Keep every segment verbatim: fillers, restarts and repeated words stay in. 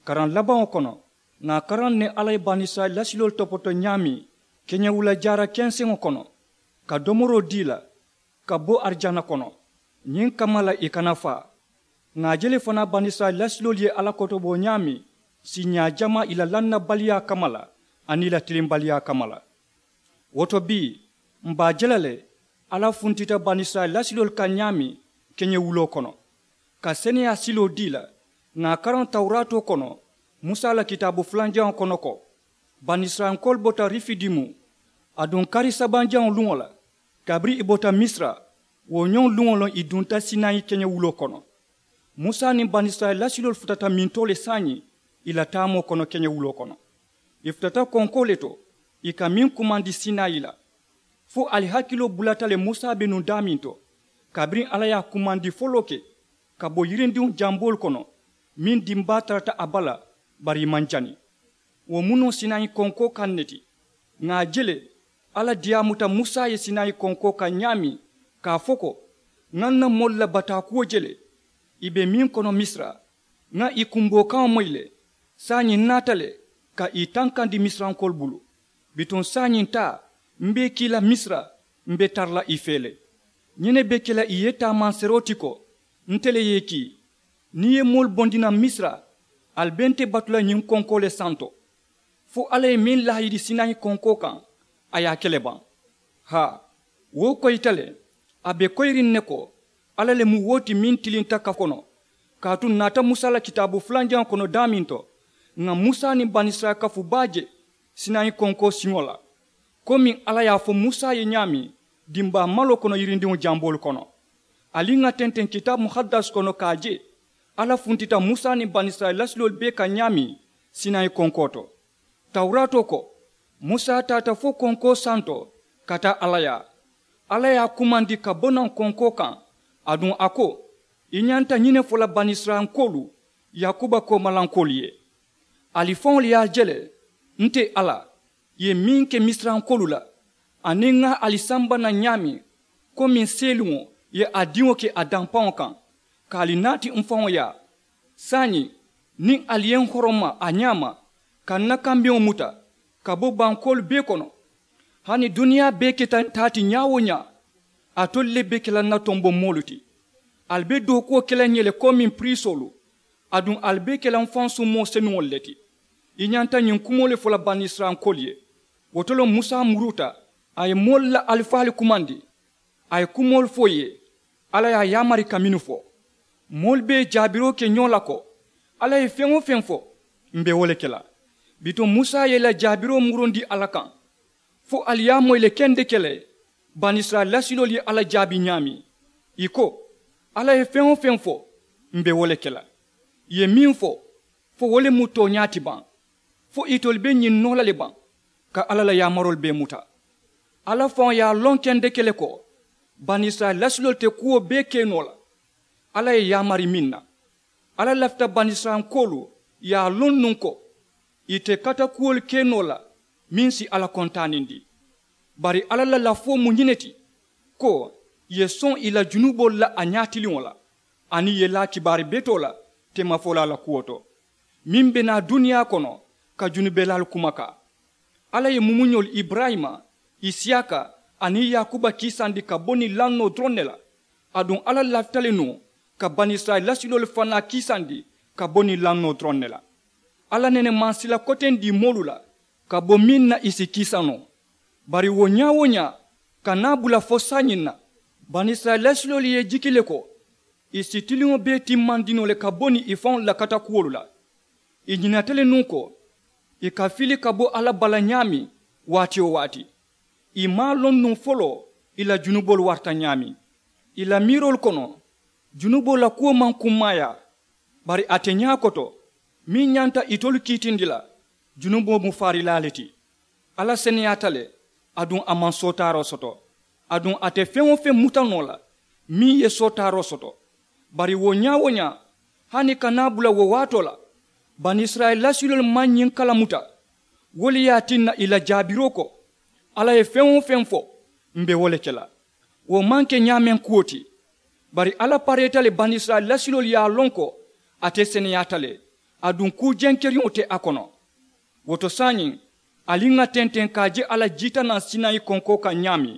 Karaŋ labaŋo kono, ŋà a karaŋ ne alla ye banisirayila lasiloolu topoto ñaameŋ keñewula jaara kenseŋo kono, ka domoroo dii la ka bo arijana kono. Ñiŋ kamma la ì kana faa. Ŋà a je le fanaa banisirayila lasiloolu ye alla kotoboo ñaameŋ siiñaa jamaa ì la lannabaliyaa kamma la aniŋ ì la tilimbaliyaa kamma la. Wo to bii, m̀ be a je la le alla funtita banisirayila lasiloolu kaŋ ñaameŋ keñewuloo kono, ka seneyaa siloo dii la. Ŋà a karaŋ tawuraatoo kono, musa la kitaabu fulanjaŋo kono ko, banisirayilankoolu bota rifidimu, aduŋ kari sabanjaŋo luŋo la, kabiriŋ ì bota misira, wo ñoŋ luŋo loŋ ì dunta sinayi keñewuloo kono. Musa niŋ banisirayila lasiloolu futata mintoo le saayiŋ ì la taamoo kono keñewuloo kono. Ì futata konkoo le to, ì ka meŋ kumandi sinayi la. Fo ali hakiloo bulata le musa be nuŋ daameŋ to, kabiriŋ alla ye a kumandi foloo ke ka bo yirindiŋo jamboolu kono, meŋ dimbaa tarata a bala, bari ì maŋ jani. Wo mu noo sinayi konkoo kaŋ ne ti. Ŋà a je le, alla diyaamuta musa ye sinayi konkoo kaŋ ñaameŋ, ka a fo ko, ŋà n na moolu la bataakuwo je le, ì be meŋ kono misira, ŋà ì kumboo kaŋo moyi le. Saayiŋ n naata le ka ì tankandi misirankoolu bulu. Bituŋ saayiŋ taa, m be ì kii la misira, m be tara la ì fee le. Ñiŋ ne be ke la ì ye taamanseeroo ti ko, nte le ye ì kii. Niŋ ì ye moolu bondi naŋ misira, ali be nte batu la ñiŋ konkoo le santo. Fo alla ye meŋ laahidi sinayi konkoo kaŋ, a ye a ke le baŋ. Haa, wo koyita le. A be koyiriŋ ne ko, alla le mu wo ti meŋ tilinta kafu kono. Kaatu n naata musa la kitaabu fulanjaŋo kono daameŋ to, ŋà musa niŋ banisirayila kafu baa je sinayi konkoo siŋo la, komiŋ alla ye a fo musa ye ñaameŋ dimbaa maloo kono yirindiŋo jamboolu kono. Ali ŋà tenteŋ kitaabu muhaddas kono ka a je, alla funtita musa niŋ banisirayila lasiloolu bee kaŋ ñaameŋ sinayi konkoo to. Tawuraatoo ko, musa taata fo konkoo santo ka taa alla yaa. Alla ye a kumandi ka bo naŋ konkoo kaŋ, aduŋ a ko, i ñanta ñiŋ ne fo la banisirayilankoolu, yaakuba koomalankoolu ye. Ali faŋolu ye a je le, nte alla, ì ye meŋ ke misirankoolu la, aniŋ ŋa ali samba naŋ ñaameŋ, komiŋ seeluŋo ye a diŋo ke a dampaŋo kaŋ, ka ali naati m faŋo yaa. Saayiŋ, niŋ ali ye n horoma a ñaama, ka n na kambeŋo muta ka bo bankoolu bee kono, hani duniyaa bee keta n taa ti ñaa-wo-ñaa, alitolu le be ke la n na tomboŋ moolu ti. Ali be dookuwo ke la n ye le komiŋ piriisoolu, aduŋ ali be ke la m faŋ summoo senuŋolu le ti. I ñanta ñiŋ kumoo le fo la banisirayilankoolu ye. Wo to le musa muruuta, a ye moolu la alifaalu kumandi, a ye kumoolu fo ì ye, alla ye a yaamari ka mennu fo. Moolu be jaabiroo ke ñoo la ko, alla ye feŋ-wo-feŋ fo, m be wo le ke la. Bituŋ musa ye ì la jaabiroo murundi alla kaŋ, fo ali ye a moyi le kendeke le, banisirayila lasiloolu ye alla jaabi ñaameŋ. Ì ko, alla ye feŋ-wo-feŋ fo, m be wo le ke la. Ì ye meŋ fo, fo wo le mu tooñaa ti baŋ? Fo itolu be ñiŋ noo la le baŋ, ka alla la yaamaroolu bee muta? Alla faŋo ye a loŋ kendeke le ko, banisirayila lasiloolu te kuwo bee ke noo la alla ye yaamari meŋ na. Alla lafita banisirayila kuwolu ye a loŋ nuŋ ko, ì te kata kuwolu ke noo la meŋ si alla kontaanindi. Bari alla la lafoo mu ñiŋ ne ti, ko ì ye soŋ ì la junuboolu la a ñaatiliŋo la, aniŋ ì ye laa kibaari betoo la teemafolaa la kuwo to, meŋ be naa duniyaa kono ka junubelaalu kumakaa. Alla ye mumuñolu iburayima, isiyaka, aniŋ yaakuba kiisandi ka bo niŋ lannoo doroŋ ne la. Aduŋ alla lafita le nuŋ ka banisirayila lasiloolu fanaa kiisandi ka bo niŋ lannoo doroŋ ne la. Alla nene maŋ sila koteŋ dii moolu la ka bo meŋ na ì si kiisa noo. Bari wo ñaa-wo-ñaa, ka naa bula fo saayiŋ na, banisirayila lasiloolu ye ì jiki le ko, ì si tiliŋo bee timmandi noo le ka bo niŋ ì faŋolu la katakuwolu la. Ì ñinata le nuŋ ko, ì ka fili ka bo alla bala ñaameŋ, waati-wo-waati. Ì maŋ a loŋ nuŋ foloo ì la junuboolu warata ñaameŋ. Ì la miiroolu kono, junuboo la kuwo maŋ kummaayaa. Bari ate ñaakoto, meŋ ñanta itolu kiitindi la, junuboo mu faarilaa le ti. Alla seneyaata le, aduŋ a maŋ sootaaroo soto. Aduŋ a te feŋ-wo-feŋ muta noo la meŋ ye sootaaroo soto. Bari wo ñaa-wo-ñaa, hani ka naa bula wo waatoo la, banisirayila lasiloolu maŋ ñiŋ kala muta. Wo le ye a tinna ì la jaabiroo ko, alla ye feŋ-wo-feŋ fo, m be wo le ke la. Wo maŋ ke ñaameŋ kuwo ti. Bari alla pareeta le, banisirayila lasiloolu ye a loŋ ko ate seneyaata le. Aduŋ kuu jenkeriŋo te a kono. Wo to saayiŋ, ali ŋà tenteŋ ka a je a la jiitanaŋ sinayi konkoo kaŋ ñaameŋ,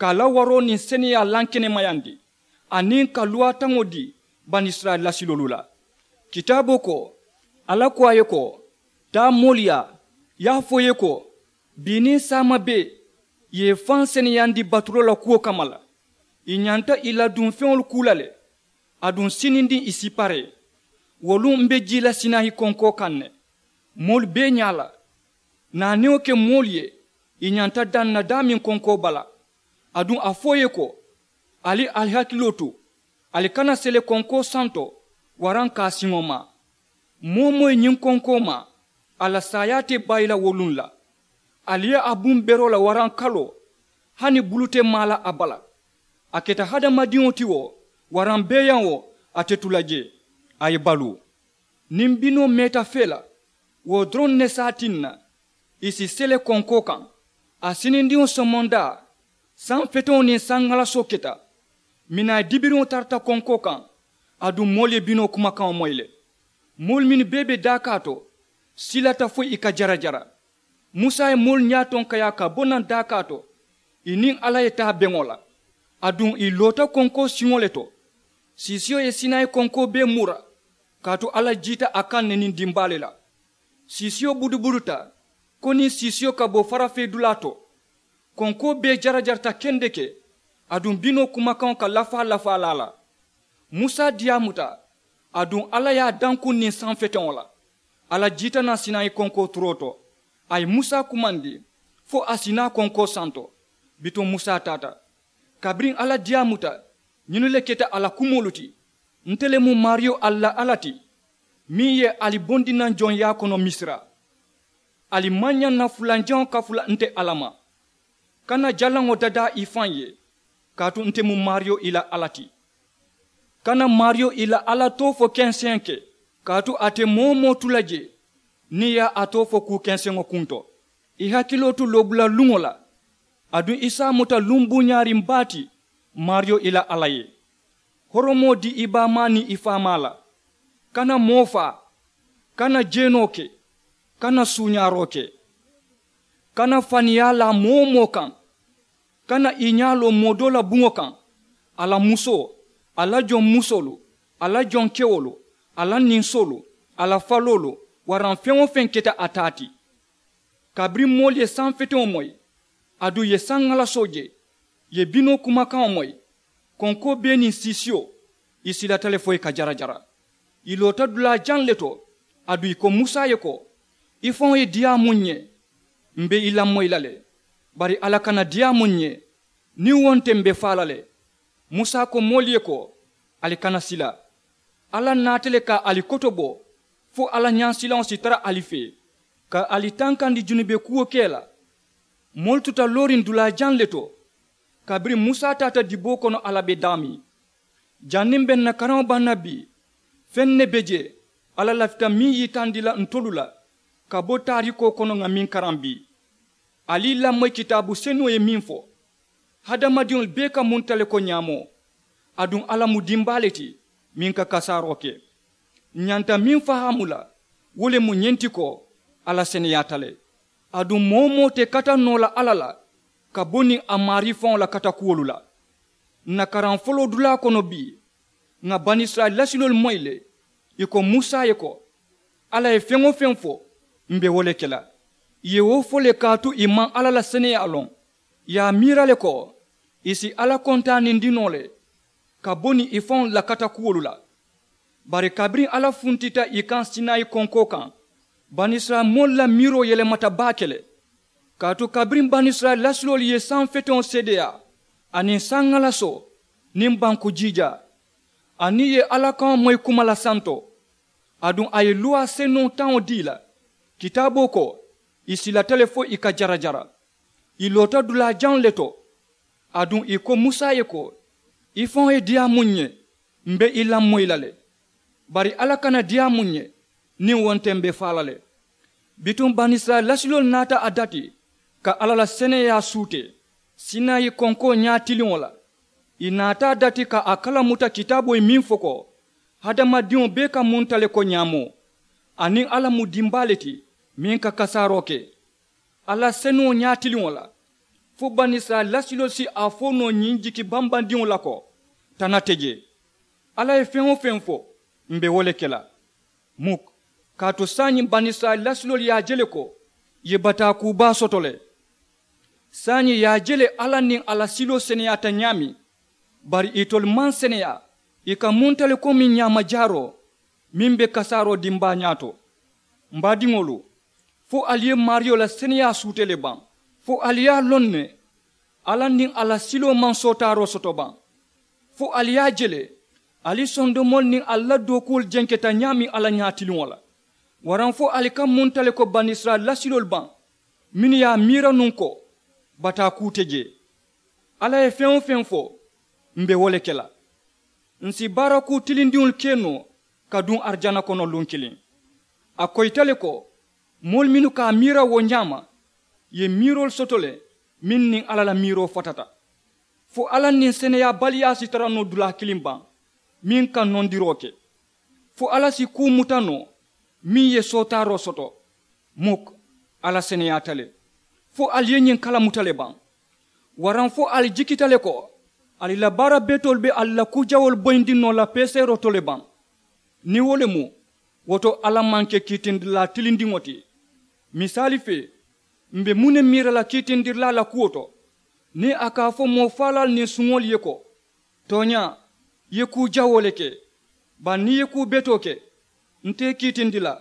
ka a la waroo niŋ seneyaa lankenemayandi, aniŋ ka luwaataŋo dii banisirayila lasiloolu la. Kitaaboo ko, alla ko a ye ko, taa moolu yaa, ye a fo ì ye ko, bii niŋ saama bee ì ye ì faŋ seneyandi batuloo la kuwo kamma la. Ì ñanta ì la duŋ feŋolu kuu la le. Aduŋ sinindiŋ ì si paree. Wo luŋ m be jii la sinayi konkoo kaŋ ne, moolu bee ñaa la. Naanewo ke moolu ye ì ñanta daŋ na daameŋ konkoo bala. Aduŋ a fo ì ye ko, ali ali hakiloo tu, ali kana sele konkoo santo waraŋ ka a siŋo maa. Moo-wo-moo ye ñiŋ konkoo maa, a la saayaa te bayi la wo luŋ la. Ali ye a buŋ beroo la waraŋ kaloo, hani bulu te maa la a bala. A keta hadamadiŋo ti wo, waraŋ beeyaŋ wo, a te tu la jee, a ye baluu. Niŋ binoo meeta fee la, wo doroŋ ne si a tinna ì si sele konkoo kaŋ. A sinindiŋo somondaa, saŋ feteŋo niŋ saŋ ŋalasoo keta. Minaa ye dibiriŋo tarata konkoo kaŋ, aduŋ moolu ye binoo kumakaŋo moyi le. Moolu mennu bee be daakaa to, silata fo ì ka jarajara. Musa ye moolu ñaa tonkayaa ka bo naŋ daakaa to, ì niŋ alla ye taa beŋo la. Aduŋ ì loota konkoo siŋo le to. Siisiyo ye sinayi konkoo bee mura, kaatu alla jiita a kaŋ ne niŋ dimbaa le la. Siisiyo budubuduta ko niŋ siisiyo ka bo farafeedulaa to. Konkoo bee jarajarata kendeke, aduŋ binoo kumakaŋo ka lafaa lafaa la a la. Musa diyaamuta, aduŋ alla ye a dankuŋ niŋ saŋ feteŋo la. Alla jiita naŋ sinayi konkoo turoo to. A ye musa kumandi fo a si naa konkoo santo. Bituŋ musa taata. Kabiriŋ alla diyaamuta, ñinnu le keta a la kumoolu ti, nte le mu maariyo ali la alla ti, meŋ ye ali bondi naŋ joŋyaa kono misira. Ali maŋ ñaŋ na fulanjaŋo kafu la nte alla ma. Kana jalaŋo dadaa i faŋ ye, kaatu nte mu maariyo i la alla ti. Kana maariyo i la alla too fo kenseŋ ke, kaatu a te moo-wo-moo tu la jee niŋ ì ye a too fo kuu kenseŋo kunto. I hakiloo tu loobula luŋo la, aduŋ i si a muta luŋ buuñaariŋ baa ti maariyo i la alla ye. Horomoo dii i baamaa niŋ i faamaa la. Kana moo faa, kana jeenoo ke, kana suuñaaroo ke. Kana faniyaa laa moo-wo-moo kaŋ. Kana i ñaa loo moo doo la buŋo kaŋ, a la musoo, a la joŋ musoolu, a la joŋ kewolu, a la ninsoolu, a la faloolu, waraŋ feŋ-wo-feŋ keta a taa ti. Kabiriŋ moolu ye saŋ feteŋo moyi, aduŋ ì ye saŋ ŋalasoo je, ì ye binoo kumakaŋo moyi, konkoo bee niŋ siisiyo, ì silata le fo ì ka jarajara. Ì loota dulaa jaŋ le to, aduŋ ì ko musa ye ko, i faŋo ye diyaamu ǹ ye, m̀ be i lamoyi la le. Bari alla kana diyaamu ǹ ye, niŋ wo nte m̀ be faa la le. Musa ko moolu ye ko, ali kana sila. Alla naata le ka ali kotobo, fo alla ñaasilaŋo si tara ali fee, ka ali tankandi junube kuwo ke la. Moolu tuta looriŋ dulaa jaŋ le to. Kabiriŋ musa taata diboo kono alla be daameŋ, janniŋ m̀ be ǹ na karaŋo baŋ na bii, feŋ ne be jee alla lafita meŋ yitandi la ntolu la, ka bo taarikoo kono ŋà meŋ karaŋ bii. Ali i lamoyi kitaabu senuŋo ye meŋ fo, hadamadiŋolu bee ka munta le ko ñaamoo. Aduŋ alla mu dimbaa le ti, meŋ ka kasaaroo ke. Ǹ ñanta meŋ fahaamu la, wo le mu ñiŋ ti ko, alla seneyaata le. Aduŋ moo-wo-moo te kata noo la alla la, ka bo niŋ a maarii faŋo la katakuwolu la. Ǹ na karaŋ foloo dulaa kono bii, ŋà banisirayila lasiloolu moyi le, ì ko musa ye ko, alla ye feŋ-wo-feŋ fo, m̀ be wo le ke la. Ì ye wo fo le kaatu ì maŋ alla la seneyaa loŋ. Ì ye a miira le ko, ì si alla kontaanindi noo le, ka bo niŋ ì faŋolu la katakuwolu la. Bari kabiriŋ alla funtita ì kaŋ sinayi konkoo kaŋ, banisirayila moolu la miiroo yelemata baake le. Kaatu kabiriŋ banisirayila lasiloolu ye saŋ feteŋo seedeyaa, aniŋ saŋ ŋalasoo, niŋ banku jiijaa, aniŋ ì ye alla kaŋo moyi kuma la santo, aduŋ a ye luwaa senuŋo taŋo dii ì la, kitaaboo ko, ì silata le fo ì ka jarajara. Ì loota dulaa jaŋ le to. Aduŋ ì ko musa ye ko, i faŋo ye diyaamu ǹ ye, m̀ be i lamoyi la le. Bari alla kana diyaamu ǹ ye, niŋ wo nte m̀ be faa la le. Bituŋ banisirayila lasiloolu naata a dati, ka alla la seneyaa suutee sinayi konkoo ñaatiliŋo la. Ì naata a dati ka a kalamuta kitaaboo ye meŋ fo ko, hadamadiŋo bee ka munta le ko ñaamoo. Aniŋ alla mu dimbaa le ti meŋ ka kasaaroo ke alla senuŋo ñaatiliŋo la. Fo banisirayila lasiloolu si a fo noo ñiŋ jiki bambandiŋo la ko, tana te jee. Alla ye feŋ-wo-feŋ fo, m̀ be wo le ke la. Muk, kaatu saayiŋ banisirayila lasiloolu ye a je le ko ì ye bataa kuu baa soto le. Saayiŋ ì ye a je le alla niŋ a la siloo seneyaata ñaameŋ. Bari itolu maŋ seneyaa, ì ka munta le komi ñaama jaaroo meŋ be kasaaroo dimbaa ñaato. M̀ baadiŋolu, fo ali ye maariyo la seneyaa suutee le baŋ? Fo ali ye a loŋ ne alla niŋ a la siloo maŋ sootaaroo soto baŋ? Fo ali ye a je le ali sondomoolu niŋ ali la dookuwolu jenketa ñaameŋ alla ñaatiliŋo la? Waraŋ fo ali ka munta le ko banisirayila lasiloolu baŋ mennu ye a miira nuŋ ko bataa kuu te jee? Alla ye feŋ-wo-feŋ fo, m̀ be wo le ke la. Ǹ si baara kuu tilindiŋolu ke noo ka duŋ arijana kono luŋ kiliŋ. A koyita le ko moolu mennu ka a miira wo ñaama ì ye miiroolu soto le mennu niŋ alla la miiroo fatata. Fo alla niŋ seneyaabaliyaa si tara noo dulaa kiliŋ baŋ meŋ ka nondiroo ke? Fo alla si kuu muta noo meŋ ye sootaaroo soto? Muk, alla seneyaata le. Fo ali ye ñiŋ kalamuta le baŋ? Waraŋ fo ali jikita le ko ali la baara betoolu be ali la kuu jawoolu boyindi noo la peeseeroo to le baŋ? Niŋ wo le mu, wo to alla maŋ ke kiitindirilaa tilindiŋo ti. Misaali fee, m̀ be muŋ ne miira la kiitindirilaa la kuwo to? Niŋ a ka a fo moo faalaalu niŋ suŋolu ye ko, tooñaa, ì ye kuu jawoo le ke, bari niŋ ì ye kuu betoo ke, nte ì kiitindi la,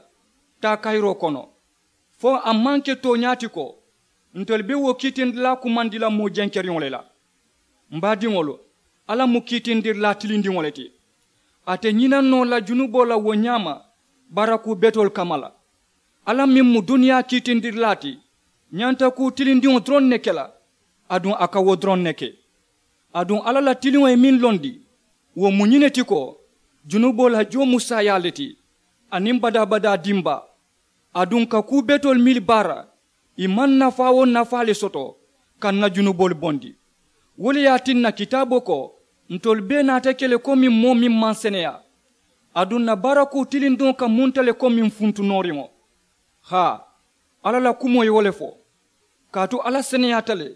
taa kayiroo kono. Fo a maŋ ke tooñaa ti ko ntolu be wo kiitindilaa kumandi la moo jenkeriŋo le la? M̀ baadiŋolu, alla mu kiitindirilaa tilindiŋo le ti. A te ñinaŋ noo la junuboo la wo ñaama baarakuu betoolu kamma la. Alla meŋ mu duniyaa kiitindirilaa ti ñanta kuu tilindiŋo doroŋ ne ke la. Aduŋ a ka wo doroŋ ne ke. Aduŋ alla la tiliŋo ye meŋ londi, wo mu ñiŋ ne ti ko junuboo la joo mu saayaa le ti, aniŋ badaa-badaa dimbaa. Aduŋ ka kuu betoolu miili baara, ì maŋ nafaa-wo-nafaa le soto ka ǹ na junuboolu bondi. Wo le ye a tinna kitaaboo ko, ntolu bee naata ke le komi moo meŋ maŋ seneyaa. Aduŋ ǹ na barakuu tilindiŋo ka munta le komi funtu nooriŋo. Haa, alla la kumoo ye wo le fo. Kaatu alla seneyaata le,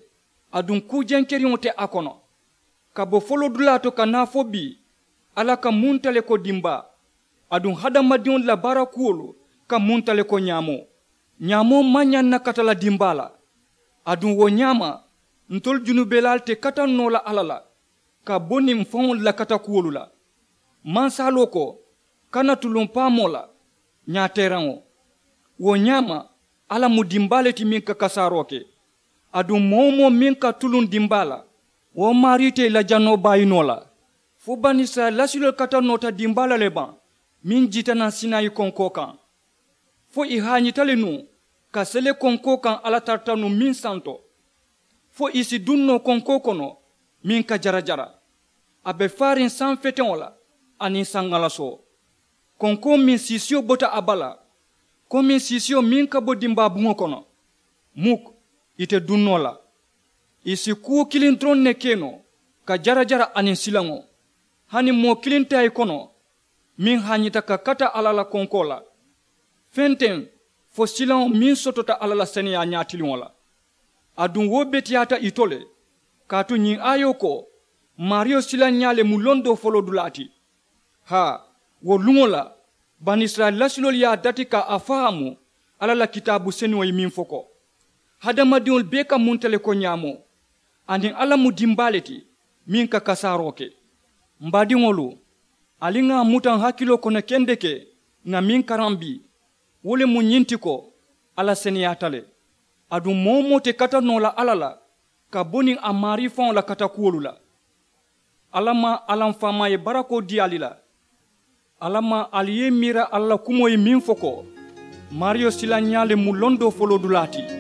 aduŋ kuu jenkeriŋo te a kono. Ka bo foloodulaa to ka naa fo bii, alla ka munta le ko dimbaa. Aduŋ hadamadiŋolu la baarakuwolu ka munta le ko ñaamoo. Ñaamoo maŋ ñaŋ na kata la dimbaa la. Aduŋ wo ñaama, ntolu junubelaalu te kataŋ noo la alla la ka bo niŋ faŋolu la katakuwolu la. Mansaaloo ko, kana tuluŋ paamoo la, ñaateeraŋo. Wo ñaama, alla mu dimbaa le ti meŋ ka kasaaroo ke. Aduŋ moo-wo-moo meŋ ka tuluŋ dimbaa la, wo maarii te ì la janoo baayi noo la. Fo banisirayila lasiloolu kata noota dimbaa la le baŋ meŋ jiita naŋ sinayi konkoo kaŋ? Fo ì haañita le nuŋ ka sele konkoo kaŋ alla tarata nuŋ meŋ santo? Fo ì si duŋ noo konkoo kono meŋ ka jarajara? A be faariŋ saŋ feteŋo la aniŋ saŋ ŋalasoo. Konkoo meŋ siisiyo bota a bala komiŋ siisiyo meŋ ka bo dimbaa buŋo kono. Muk, ì te duŋ noo la. Ì si kuwo kiliŋ doroŋ ne ke noo, ka jarajara aniŋ silaŋo. Hani moo kiliŋ te a ì kono meŋ haañita ka kata alla la konkoo la. Feŋ teŋ fo silaŋo meŋ sotota alla la seneyaa ñaatiliŋo la. Aduŋ wo beteyaata ì to le. Kaatu ñiŋ aayoo ko, maariyo silaŋ ñaa le mu londoo foloodulaa ti. Haa, wo luŋo la banisirayila lasiloolu ye a dati ka a fahaamu alla la kitaabu senuŋo ye meŋ fo ko, hadamadiŋolu bee ka munta le ko ñaamoo, aniŋ alla mu dimbaa le ti meŋ ka kasaaroo ke. M baadiŋolu, ali ŋà a muta n hakiloo kono kendeke ŋà meŋ karaŋ bii, wo le mu ñiŋ ti ko, alla seneyaata le. Aduŋ moo-wo-moo te kata noo la alla la ka bo niŋ a maarii faŋo la katakuwolu la. Alla maŋ alla m faamaa ye barakoo dii ali la. Alla maŋ ali ye i miira alla la kumoo ye meŋ fo ko, maariyo silaŋ ñaa le mu londoo foloodulaa ti.